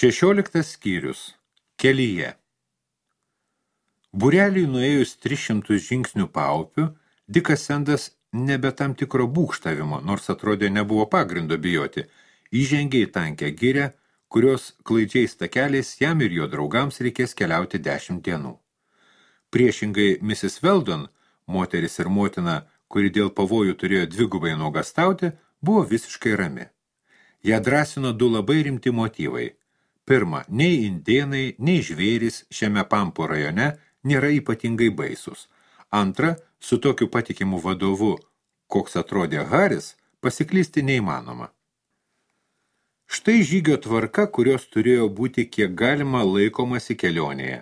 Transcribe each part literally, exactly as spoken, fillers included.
Šešioliktas skyrius. Kelyje. Būreliui nuėjus tris šimtus žingsnių paupiu, Dikas Sendas nebe tam tikro būgštavimo, nors atrodė nebuvo pagrindo bijoti, įžengė į tankę girią, kurios klaidžiais takeliais jam ir jo draugams reikės keliauti dešimt dienų. Priešingai misis Weldon, moteris ir motina, kuri dėl pavojų turėjo dvigubai nuogastauti, buvo visiškai rami. Ją drąsino du labai rimti motyvai. Pirma, nei indėnai, nei žvėrys šiame Pampo rajone nėra ypatingai baisus. Antra, su tokiu patikimu vadovu, koks atrodė Haris, pasiklysti neįmanoma. Štai žygio tvarka, kurios turėjo būti kiek galima laikomasi kelionėje.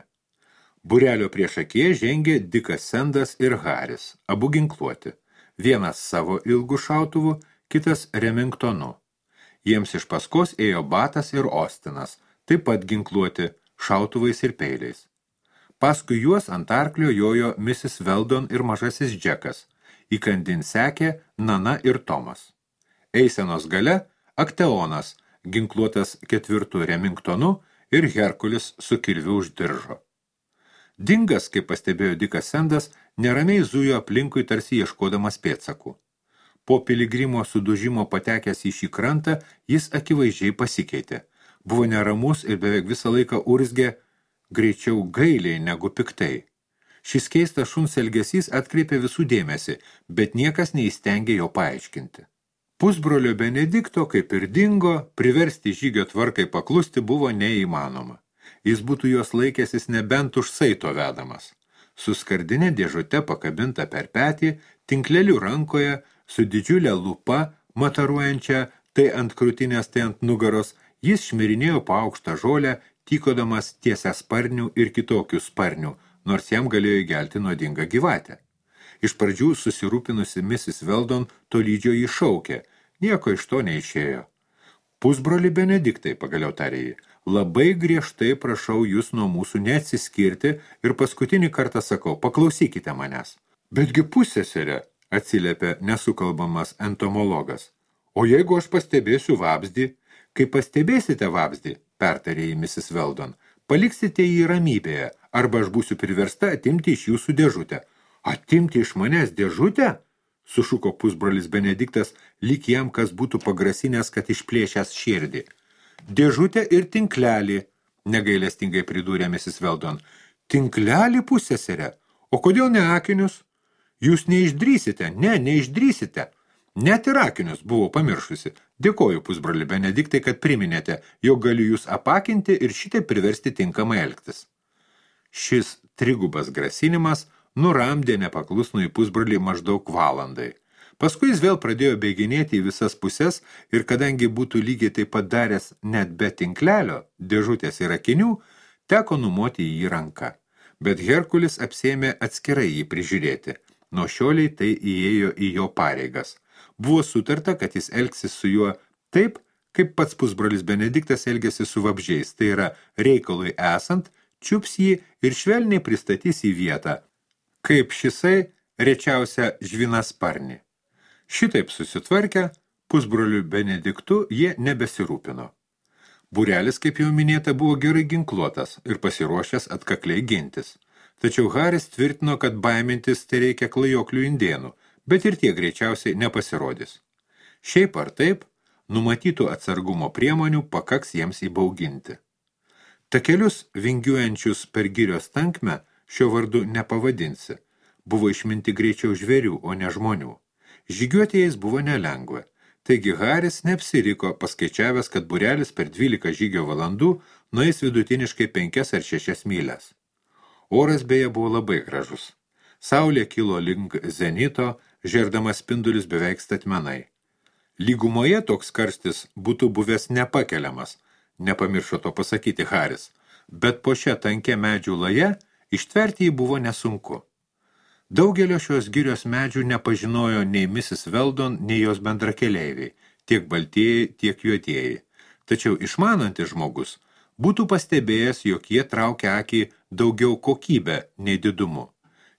Būrelio priešakyje žengė Dikas Sendas ir Haris, abu ginkluoti. Vienas savo ilgu šautuvu, kitas Remingtonu. Jiems iš paskos ėjo Batas ir Ostinas, taip pat ginkluoti šautuvais ir peiliais. Paskui juos ant arklio jojo misis Weldon ir mažasis Džekas, įkandin sekė Nana ir Tomas. Eisenos gale Akteonas, ginkluotas ketvirtu Remingtonu ir Herkulis su kirviu už diržo. Dingas, kaip pastebėjo Dikas Sendas, neramiai zujo aplinkui tarsi ieškodamas pėdsakų. Po piligrimo sudužimo patekęs į šį krantą, jis akivaizdžiai pasikeitė. Buvo neramus ir beveik visą laiką urzgė, greičiau gailiai negu piktai. Šis keistas šuns elgesys atkreipė visų dėmesį, bet niekas neįstengė jo paaiškinti. Pusbrolio Benedikto, kaip ir Dingo, priversti žygio tvarkai paklusti buvo neįmanoma. Jis būtų jos laikęsis nebent už saito vedamas. Su skardinė dėžute pakabinta per petį, tinkleliu rankoje, su didžiulė lupa, mataruojančia tai ant krūtinės, tai ant nugaros, jis šmirinėjo po aukštą žolę, tykodamas tiesia sparnių ir kitokių sparnių, nors jam galėjo įgelti nuodingą gyvatę. Iš pradžių susirūpinusi misis Weldon tolydžio jį šaukė, nieko iš to neišėjo. Pusbroli Benediktai, pagaliau tarė jį, labai griežtai prašau jūs nuo mūsų neatsiskirti ir paskutinį kartą sakau, paklausykite manęs. Betgi pusseserė, atsiliepė nesukalbamas entomologas. O jeigu aš pastebėsiu vabzdį, kai pastebėsite vabzdį, pertarė jį misis Weldon, paliksite jį ramybėje, arba aš būsiu priversta atimti iš jūsų dėžutę. Atimti iš manęs dėžutę? Sušuko pusbrolis Benediktas, lyg jam kas būtų pagrasinęs, kad išplėšęs širdį. Dėžutę ir tinklelį, negailestingai pridūrė misis Weldon. Tinklelį pusseserė? O kodėl ne akinius? Jūs neišdrysite, ne, neišdrysite. Net ir akinius buvo pamiršusi. Dėkoju, pusbroli Benediktai, kad priminėte, jog galiu jūs apakinti ir šitai priversti tinkamai elgtis. Šis trigubas grasinimas nuramdė nepaklusnų į pusbrolį maždaug valandai. Paskui jis vėl pradėjo bėginėti į visas puses ir kadangi būtų lygiai taip pat daręs net be tinklelio, dėžutės ir akinių, teko numoti jį ranką. Bet Herkulis apsėmė atskirai jį prižiūrėti. Nuo šioliai tai įėjo į jo pareigas. Buvo sutarta, kad jis elgsis su juo taip, kaip pats pusbrolis Benediktas elgėsi su vabžiais, tai yra reikalui esant, čiups jį ir švelniai pristatys į vietą, kaip šisai rečiausia žvinasparnį. Šitaip susitvarkę, pusbroliu Benediktu jie nebesirūpino. Būrelis, kaip jau minėta, buvo gerai ginkluotas ir pasiruošęs atkakliai gintis. Tačiau Haris tvirtino, kad baimintis tai reikia klajoklių indėnų, bet ir tie greičiausiai nepasirodys. Šiaip ar taip, numatytų atsargumo priemonių pakaks jiems įbauginti. Takelius vingiuojančius per girios tankmę šio vardu nepavadinsi. Buvo išminti greičiau žvėrių, o ne žmonių. Žygiuoti jais buvo nelengva. Taigi Haris neapsiriko, paskaičiavęs, kad būrelis per dvylika žygio valandų nueis vidutiniškai penkias ar šešias mylias. Oras beje buvo labai gražus. Saulė kilo link zenito, žerdamas spindulius beveik statmenai. Lygumoje toks karstis būtų buvęs nepakeliamas, nepamiršo to pasakyti Haris, bet po šią tankę medžių laje ištverti jį buvo nesunku. Daugelio šios girios medžių nepažinojo nei misis Weldon, nei jos bendrakeleiviai, tiek baltieji, tiek juodieji. Tačiau išmanantis žmogus būtų pastebėjęs, jog jie traukia akį daugiau kokybę nei didumu.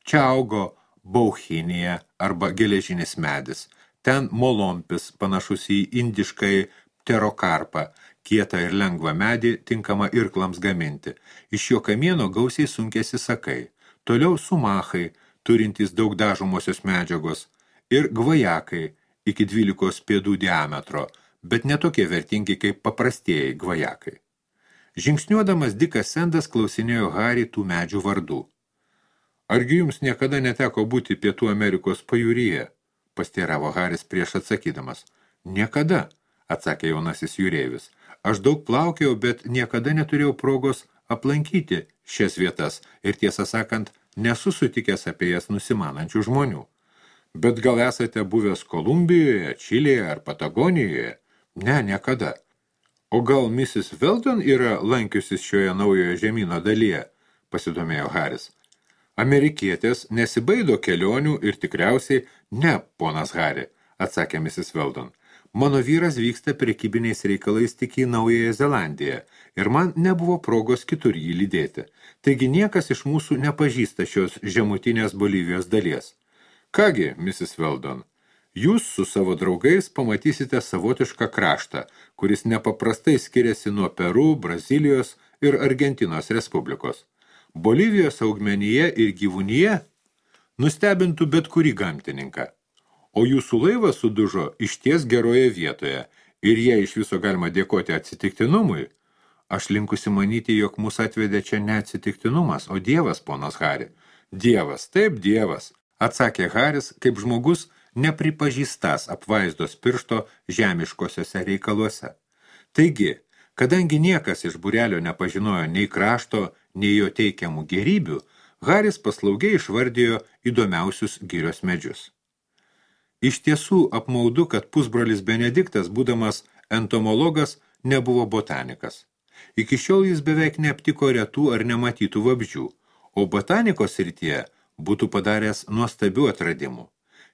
Čia augo bauchinija arba geležinis medis, ten molompis panašus į indiškai pterokarpą, kietą ir lengvą medį, tinkamą irklams gaminti. Iš jo kamieno gausiai sunkėsi sakai. Toliau sumachai, turintys daug dažomosios medžiagos, ir gvajakai iki dvylikos pėdų diametro, bet netokie vertingi kaip paprastieji gvajakai. Žingsniuodamas Dikas Sendas klausinėjo Harį tų medžių vardų. Argi jums niekada neteko būti Pietų Amerikos pajūryje? Pasteiravo Haris prieš atsakydamas. Niekada, atsakė jaunasis jūreivis. Aš daug plaukiau, bet niekada neturėjau progos aplankyti šias vietas ir tiesą sakant, nesu sutikęs apie jas nusimanančių žmonių. Bet gal esate buvęs Kolumbijoje, Čilėje ar Patagonijoje? Ne, niekada. O gal missis Weldon yra lankiusis šioje naujojo žemyno dalyje? Pasidomėjo Haris. Amerikietės nesibaido kelionių ir tikriausiai ne, ponas Hari, atsakė missis Weldon. Mano vyras vyksta prekybiniais reikalais tik į Naująją Zelandiją ir man nebuvo progos kitur jį lydėti. Taigi niekas iš mūsų nepažįsta šios žemutinės Bolivijos dalies. Kągi, missis Weldon, jūs su savo draugais pamatysite savotišką kraštą, kuris nepaprastai skiriasi nuo Peru, Brazilijos ir Argentinos Respublikos. Bolivijos augmenyje ir gyvūnyje nustebintų bet kurį gamtininką. O jūsų laivas sudužo išties geroje vietoje ir jei iš viso galima dėkoti atsitiktinumui, aš linkusi manyti, jog mus atvedė čia ne atsitiktinumas, o Dievas, ponas Hari. Dievas, taip Dievas, atsakė Haris, kaip žmogus nepripažįstas apvaizdos piršto žemiškosiuose reikaluose. Taigi, kadangi niekas iš būrelio nepažinojo nei krašto, nei jo teikiamų gerybių, Haris paslaugiai išvardijo įdomiausius girios medžius. Iš tiesų apmaudu, kad pusbrolis Benediktas, būdamas entomologas, nebuvo botanikas. Iki šiol jis beveik neaptiko retų ar nematytų vabzdžių, o botanikos srityje būtų padaręs nuostabių atradimų.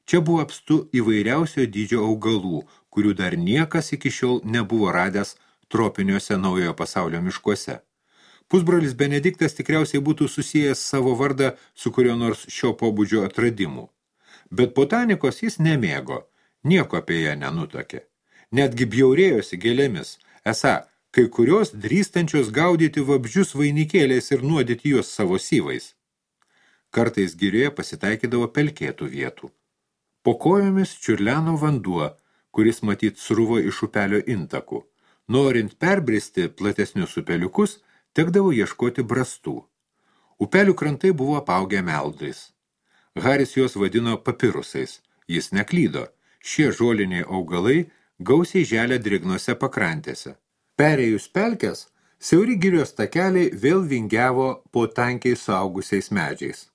Čia buvo apstu įvairiausio dydžio augalų, kurių dar niekas iki šiol nebuvo radęs tropiniuose naujojo pasaulio miškuose. Pusbrolis Benediktas tikriausiai būtų susijęs savo vardą su kurio nors šio pobūdžio atradimu. Bet botanikos jis nemėgo, nieko apie ją nenutokė. Netgi bjaurėjosi gėlėmis, esą, kai kurios drįstančios gaudyti vabzdžius vainikėliais ir nuodyti juos savo syvais. Kartais girioje pasitaikydavo pelkėtų vietų. Po kojomis čiurleno vanduo, kuris matyt sruvo iš upelio intakų. Norint perbristi platesnius upeliukus, tekdavo ieškoti brastų. Upelių krantai buvo apaugę meldais. Haris juos vadino papirusais. Jis neklydo. Šie žoliniai augalai gausiai želia drėgnose pakrantėse. Perėjus pelkes, siauri girios takeliai vėl vingiavo po tankiai suaugusiais medžiais.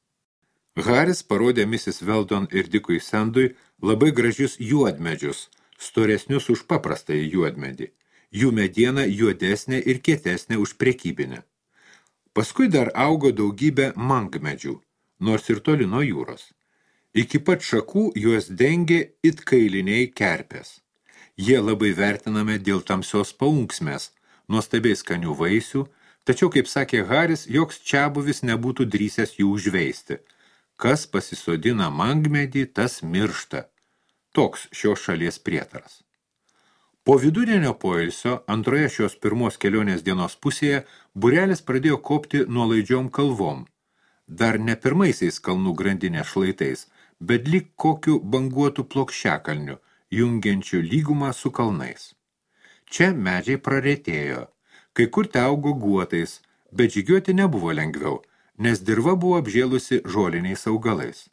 Haris parodė missis Weldon ir Dikui Sendui labai gražius juodmedžius, storesnius už paprastąjį juodmedį. Jų mediena juodesnė ir kietesnė už prekybinę. Paskui dar augo daugybė mangmedžių, nors ir toli nuo jūros. Iki pat šakų juos dengė it kailiniai kerpės. Jie labai vertinami dėl tamsios paunksmės, nuostabiai skanių vaisių, tačiau, kaip sakė Haris, joks čiabuvis nebūtų drįsęs jų užveisti. Kas pasisodina mangmedį, tas miršta. Toks šios šalies prietaras. Po vidudienio poilsio, antroje šios pirmos kelionės dienos pusėje, būrelis pradėjo kopti nuolaidžiom kalvom. Dar ne pirmaisiais kalnų grandinės šlaitais, bet lyg kokiu banguotų plokščiakalniu, jungiančiu lygumą su kalnais. Čia medžiai praretėjo, kai kur te augo guotais, bet žygiuoti nebuvo lengviau, nes dirva buvo apžėlusi žoliniais augalais.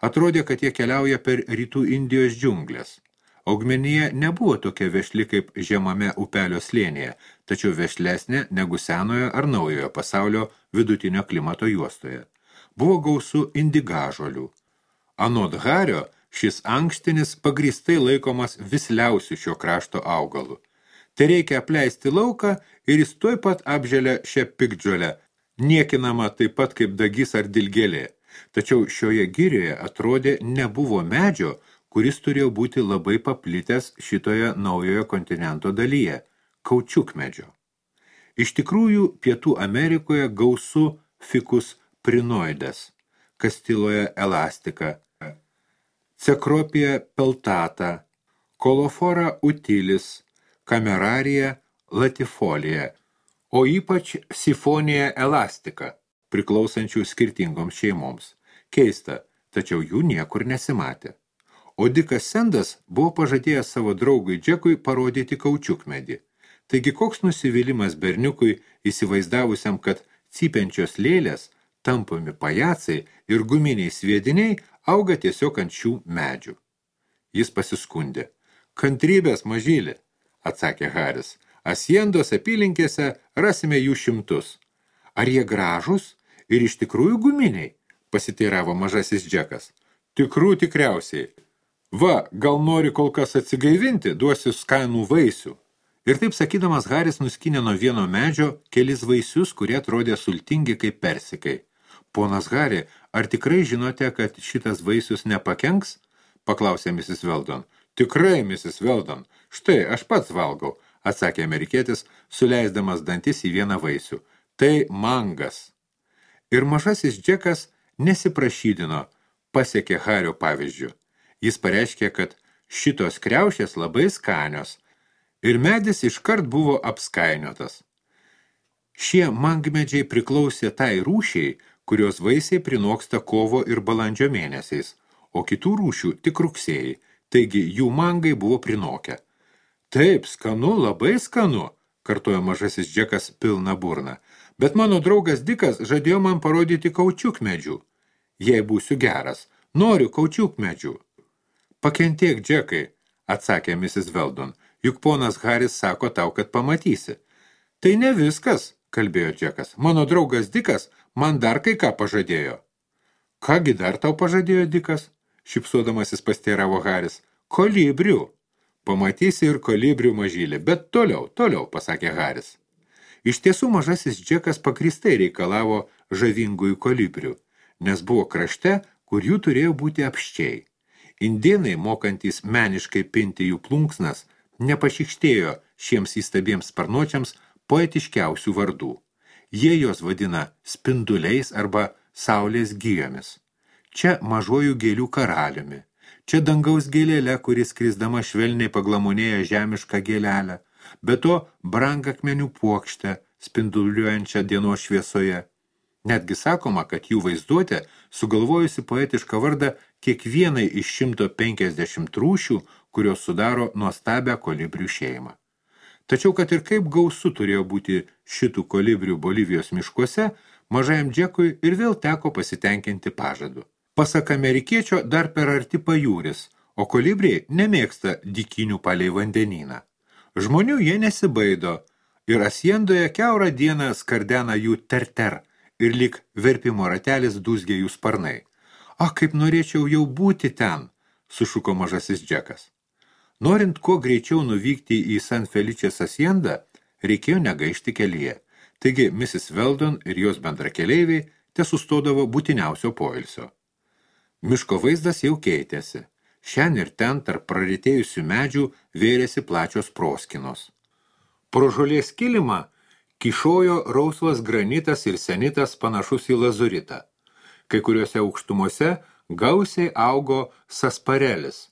Atrodė, kad jie keliauja per rytų Indijos džiunglės. Augmenija nebuvo tokia vešli kaip žemame upelio slėnyje, tačiau vešlesnė negu senojo ar naujojo pasaulio vidutinio klimato juostoje. Buvo gausu indigažolių. Anot Hario, šis ankštinis pagrįstai laikomas visliausiu šio krašto augalu. Tai reikia apleisti lauką ir jis tuoj pat apželia šią piktžolę, niekinama taip pat kaip dagys ar dilgėlė. Tačiau šioje girioje atrodė nebuvo medžio, kuris turėjo būti labai paplitęs šitoje naujojo kontinento dalyje – kaučiukmedžio. Iš tikrųjų, Pietų Amerikoje gausu ficus prinoides, Kastiloje elastika, Cecropia peltata, Colophora utilis, Camerarija latifolia, o ypač sifonia elastica, priklausančių skirtingoms šeimoms. Keista, tačiau jų niekur nesimatė. O Dikas Sendas buvo pažadėjęs savo draugui Džekui parodyti kaučiukmedį. Taigi koks nusivylimas berniukui įsivaizdavusiam, kad cypiančios lėlės, tampomi pajacai ir guminiai sviediniai auga tiesiog ant šių medžių. Jis pasiskundė. Kantrybės, mažylė, atsakė Haris. Asiendos apylinkėse rasime jų šimtus. Ar jie gražus ir iš tikrųjų guminiai? Pasiteiravo mažasis Džekas. Tikrų tikriausiai. Va, gal nori kol kas atsigaivinti, duosiu skanų vaisių. Ir taip sakydamas, Haris nuskynė nuo vieno medžio kelis vaisius, kurie atrodė sultingi kaip persikai. Ponas Hari, ar tikrai žinote, kad šitas vaisius nepakenks? Paklausė misis Weldon. Tikrai, misis Weldon. Štai, aš pats valgau, atsakė amerikietis, suleisdamas dantis į vieną vaisių. Tai mangas. Ir mažasis Džekas nesiprašydino, pasiekė Hario pavyzdžių. Jis pareiškė, kad šitos kriaušės labai skanios, ir medis iškart buvo apskainiotas. Šie mangmedžiai priklausė tai rūšiai, kurios vaisiai prinoksta kovo ir balandžio mėnesiais, o kitų rūšių tik rugsėjai, taigi jų mangai buvo prinokę. Taip, skanu, labai skanu, kartojo mažasis Džekas pilna burna, bet mano draugas Dikas žadėjo man parodyti kaučiukmedžių. Jei būsiu geras, noriu kaučiukmedžių. Pakentėk, Džekai, atsakė misis Weldon, juk ponas Haris sako tau, kad pamatysi. Tai ne viskas, kalbėjo Džekas. Mano draugas Dikas man dar kai ką pažadėjo. Kągi dar tau pažadėjo Dikas? Šipsodamasis pasteiravo Haris. Kolibrių. Pamatysi ir kolibrių, mažylį, bet toliau, toliau, pasakė Haris. Iš tiesų mažasis Džekas pagrįstai reikalavo žavingųjų kolibrių, nes buvo krašte, kur jų turėjo būti apščiai. Indėnai, mokantys meniškai pinti jų plunksnas, nepašikštėjo šiems įstabiems sparnuočiams poetiškiausių vardų. Jie jos vadina spinduliais arba saulės gijomis. Čia mažojų gėlių karaliumi. Čia dangaus gėlėlė, kuris krisdama švelniai paglamonėja žemišką gėlelę, be to brangakmenių puokštę, spinduliuojančią dienos šviesoje. Netgi sakoma, kad jų vaizduotė sugalvojusi poetišką vardą kiekvienai iš šimto penkiasdešimt rūšių, kurios sudaro nuostabią kolibrių šeimą. Tačiau, kad ir kaip gausu turėjo būti šitų kolibrių Bolivijos miškuose, mažajam Džekui ir vėl teko pasitenkinti pažadu. Pasak amerikiečio dar per arti pajūris, o kolibriai nemėgsta dykinių palei vandenyną. Žmonių jie nesibaido ir Asiendoje kiaurą dieną skardena jų ter-ter ir lyg verpimo ratelis dūzgė jų sparnai. Ach, kaip norėčiau jau būti ten, sušuko mažasis Džekas. Norint kuo greičiau nuvykti į San Feličės Asiendą, reikėjo negaišti kelyje. Taigi misis Weldon ir jos bendrakeleiviai tesustodavo būtiniausio poilsio. Miško vaizdas jau keitėsi. Šen ir ten tarp praritėjusių medžių vėrėsi plačios proskinos. Pro žolės kilimą kyšojo rausvas granitas ir senitas panašus į lazuritą. Kai kuriuose aukštumose gausiai augo sasparelis,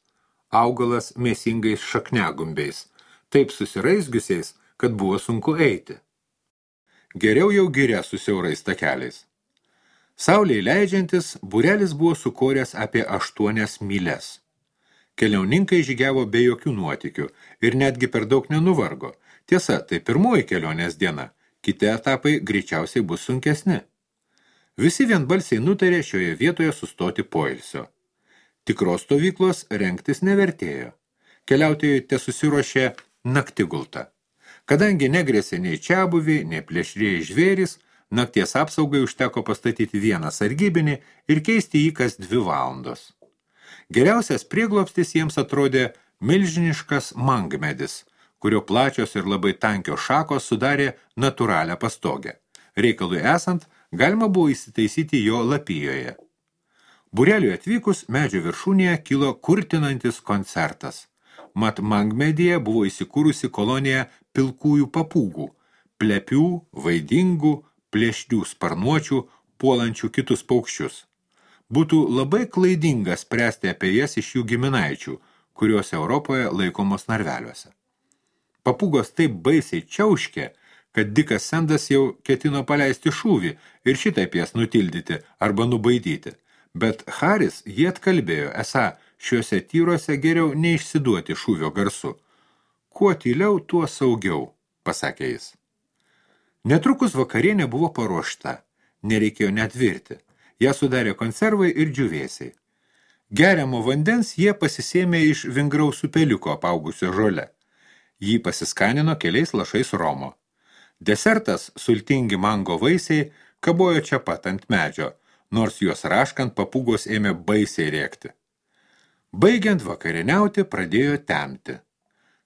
augalas mėsingais šakniagumbiais, taip susiraizgiusiais, kad buvo sunku eiti. Geriau jau giria su siaurais takeliais. Saulei leidžiantis, būrelis buvo sukoręs apie aštuonias myles. Keliauninkai žygiavo be jokių nuotykių ir netgi per daug nenuvargo. Tiesa, tai pirmoji kelionės diena, kiti etapai greičiausiai bus sunkesni. Visi vienbalsiai nutarė šioje vietoje sustoti poilsio. Tikros stovyklos rengtis nevertėjo. Keliautojai tesusiruošė naktigultą. Kadangi negrėsė nei čiabuviai, nei plėšrieji žvėrys, nakties apsaugai užteko pastatyti vieną sargybinį ir keisti jį kas dvi valandos. Geriausias prieglobstis jiems atrodė milžiniškas mangmedis, kurio plačios ir labai tankios šakos sudarė natūralią pastogę. Reikalui esant, galima buvo įsitaisyti jo lapijoje. Būreliui atvykus, medžio viršūnėje kilo kurtinantis koncertas. Mat mangmedyje buvo įsikūrusi kolonija pilkųjų papūgų, plepių, vaidingų, plėšrių sparnuočių, puolančių kitus paukščius. Būtų labai klaidinga spręsti apie jas iš jų giminaičių, kurios Europoje laikomos narveliuose. Papūgos taip baisiai čiauškė, kad Dikas Sendas jau ketino paleisti šūvį ir šitaip jas nutildyti arba nubaidyti. Bet Haris jį atkalbėjo, esą šiuose tyruose geriau neišsiduoti šūvio garsu. Kuo tyliau, tuo saugiau, pasakė jis. Netrukus vakarienė buvo paruošta, nereikėjo net virti. Ją sudarė konservai ir džiūvėsiai. Geriamo vandens jie pasisėmė iš vingraus upeliuko apaugusio žole. Jį pasiskanino keliais lašais romo. Desertas, sultingi mango vaisiai, kabojo čia pat ant medžio, nors juos raškant papūgos ėmė baisiai rėkti. Baigiant vakarieniauti, pradėjo temti.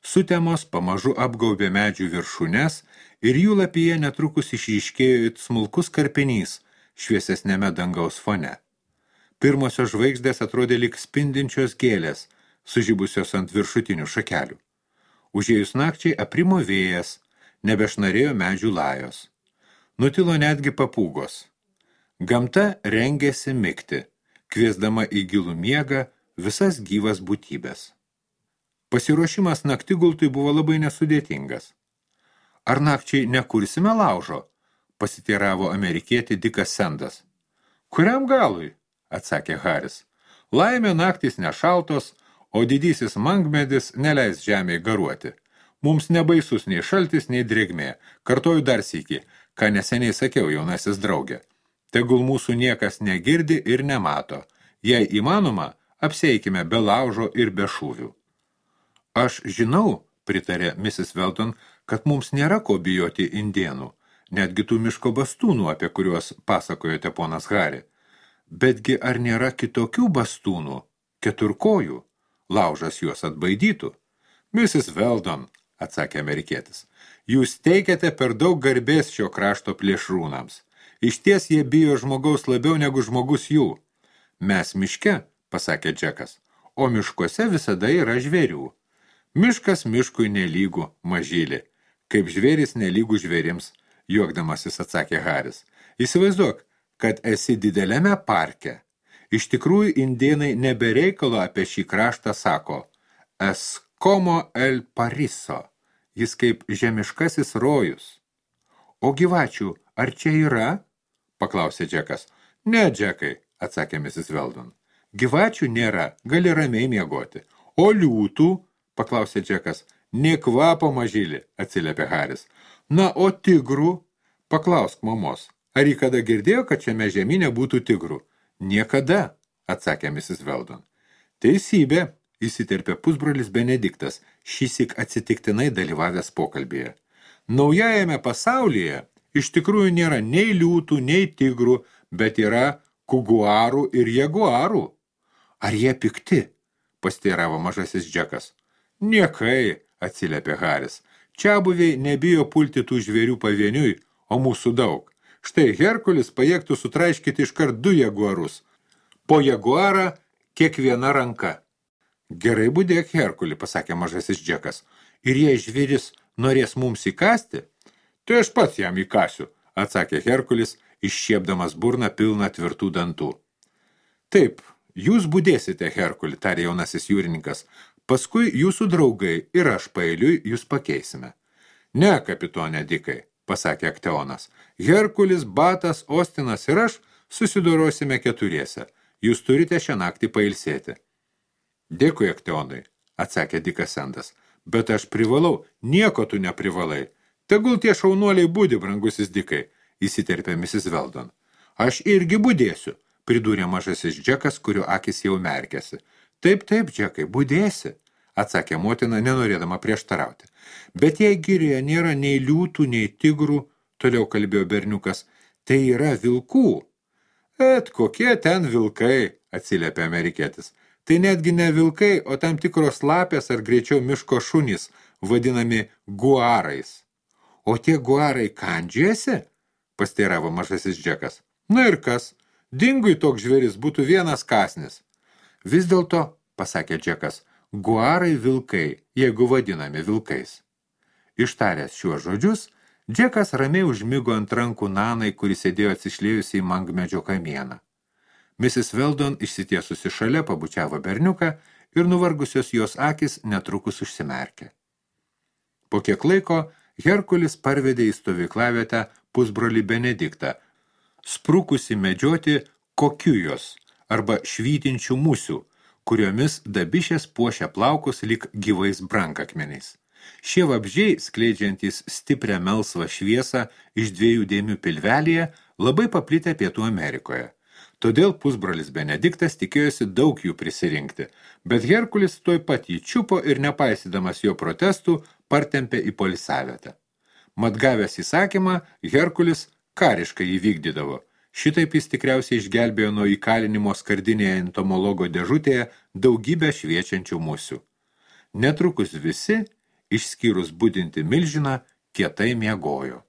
Sutemos pamažu apgaubė medžių viršūnes ir jų lapyje netrukus išryškėjo it smulkus karpinys šviesesnėme dangaus fone. Pirmosios žvaigždės atrodė lyg spindinčios gėlės, sužibusios ant viršutinių šakelių. Užėjus nakčiai aprimo vėjas, nebešnarėjo medžių lajos. Nutilo netgi papūgos. Gamta rengėsi migti, kviesdama į gilų miegą visas gyvas būtybės. Pasiruošimas naktigultui buvo labai nesudėtingas. Ar nakčiai nekursime laužo? Pasiteiravo amerikietį Dikas Sendas. Kuriam galui? Atsakė Haris. Laimė naktys nešaltos, o didysis mangmedis neleis žemėj garuoti. Mums nebaisus nei šaltis, nei drėgmė. Kartoju dar sykį, ką neseniai sakiau, jaunasis draugė. Tegul mūsų niekas negirdi ir nemato. Jei įmanoma, apseikime be laužo ir be šūvių. Aš žinau, pritarė misis Weldon, kad mums nėra ko bijoti indienų, netgi tų miško bastūnų, apie kuriuos pasakojote ponas Hari. Betgi ar nėra kitokių bastūnų, keturkojų, laužas juos atbaidytų? misis Weldon, atsakė amerikietis, jūs teikiate per daug garbės šio krašto plėšrūnams. Išties jie bijo žmogaus labiau negu žmogus jų. Mes miške, pasakė Džekas, o miškuose visada yra žvėrių. Miškas miškui nelygų, mažylį, kaip žvėris nelygų žvėrims, juokdamasis atsakė Haris. Įsivaizduok, kad esi dideliame parke. Iš tikrųjų, indėnai nebereikalo apie šį kraštą sako es como el pariso, jis kaip žemiškasis rojus. O gyvačių, ar čia yra? Paklausė Džekas. Ne, Džekai, atsakė misis Weldon. Gyvačių nėra, gali ramiai miegoti. O liūtų? Paklausė Džekas. Nė kvapo mažylį, atsiliepė Haris. Na, o tigrų? Paklausk mamos. Ar jį kada girdėjo, kad šiame žemyne būtų tigrų? Niekada, atsakė misis Weldon. Teisybė, įsiterpė pusbrolis Benediktas, šįsyk atsitiktinai dalyvavęs pokalbėje. Naujajame pasaulyje iš tikrųjų nėra nei liūtų, nei tigrų, bet yra kuguarų ir jaguarų. Ar jie pikti? Pasteiravo mažasis Džekas. Niekai, atsiliepė Haris. Čiabuviai nebijo pulti tų žvėrių pavieniui, o mūsų daug. Štai Herkulis pajėgtų sutraiškyti iškart du jaguarus. Po jaguarą kiekviena ranka. Gerai budėk, Herkuli, pasakė mažasis Džekas. Ir jei žvėris norės mums įkasti, tai aš pats jam įkasiu, atsakė Herkulis, iššiepdamas burną pilną tvirtų dantų. Taip, jūs budėsite, Herkuli, tarė jaunasis jūrininkas. Paskui jūsų draugai ir aš paeiliui jūs pakeisime. Ne, kapitonė Dikai, pasakė Akteonas. Herkulis, Batas, Ostinas ir aš susidorosime keturiese. Jūs turite šią naktį pailsėti. Dėkui, Akteonai, atsakė Dikas Sendas. Bet aš privalau, nieko tu neprivalai. Tegul tie šaunuoliai budi, brangusis Dikai, įsiterpė misis Weldon. Aš irgi budėsiu, pridūrė mažasis Džekas, kurio akis jau merkėsi. Taip, taip, Džekai, budėsi, atsakė motina, nenorėdama prieštarauti. Bet jei girioje nėra nei liūtų, nei tigrų, toliau kalbėjo berniukas, tai yra vilkų. Et kokie ten vilkai, atsiliepė amerikietis. Tai netgi ne vilkai, o tam tikros lapės ar greičiau miško šunys, vadinami guarais. O tie guarai kandžiasi? Pasteiravo mažasis Džekas. Na ir kas? Dingui toks žvėris būtų vienas kasnis. Vis dėlto, pasakė Džekas, guarai vilkai, jeigu vadinami vilkais. Ištaręs šiuos žodžius, Džekas ramiai užmigo ant rankų Nanai, kuris sėdėjo atsišlėjusi į mangmedžio kamieną. misis Weldon išsitiesusi šalia pabučiavo berniuką ir nuvargusios jos akis netrukus užsimerkė. Po kiek laiko Herkulis parvedė į stovyklavietę pusbrolį Benediktą, sprukusi medžioti kokiujos arba švytinčių musių, kuriomis dabišės puošia plaukus lyg gyvais brankakmeniais. Šie vabzdžiai, skleidžiantys stiprią melsvą šviesą iš dviejų dėmių pilvelėje, labai paplitę Pietų Amerikoje. Todėl pusbrolis Benediktas tikėjosi daug jų prisirinkti, bet Herkulis tuoj pat jį čiupo ir nepaisydamas jo protestų partempė į poilsiavietę. Mat gavęs įsakymą, Herkulis kariškai jį vykdydavo. Šitaip jis tikriausiai išgelbėjo nuo įkalinimo skardinėje entomologo dėžutėje daugybę šviečiančių musių. Netrukus visi, išskyrus budinti milžiną, kietai miegojo.